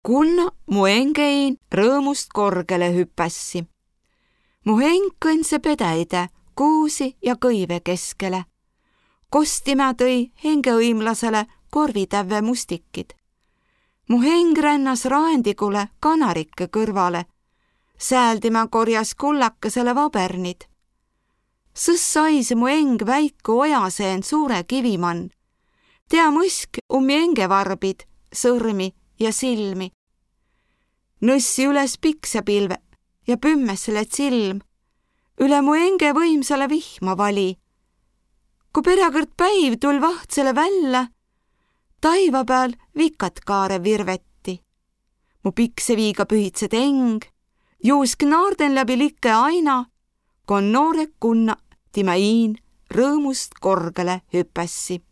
Kunna mu engein rõõmust korgele hüpässi. Mu heng kõnse pedäide kuusi ja kõive keskele. Kostima tõi hengeõimlasele korvitävve mustikid. Mu heng rännas raendikule kanarikke kõrvale. Säältima korjas kullakesele vabernid. Sõs sais mu eng väiku ojaseen suure kivimann. Tea mõsk ummi engevarbid, sõrmi ja silmi. Nõssi üles piksapilve ja pümmesele silm. Üle mu enge võimsale vihma vali. Kui perekõrd päiv tul vahtsele välja, taiva peal vikat kaare virvetti. Mu pikseviiga pühitsed eng, juusk naarden läbi like aina, kon noore kunna tima iin rõõmust korgele hüpässi.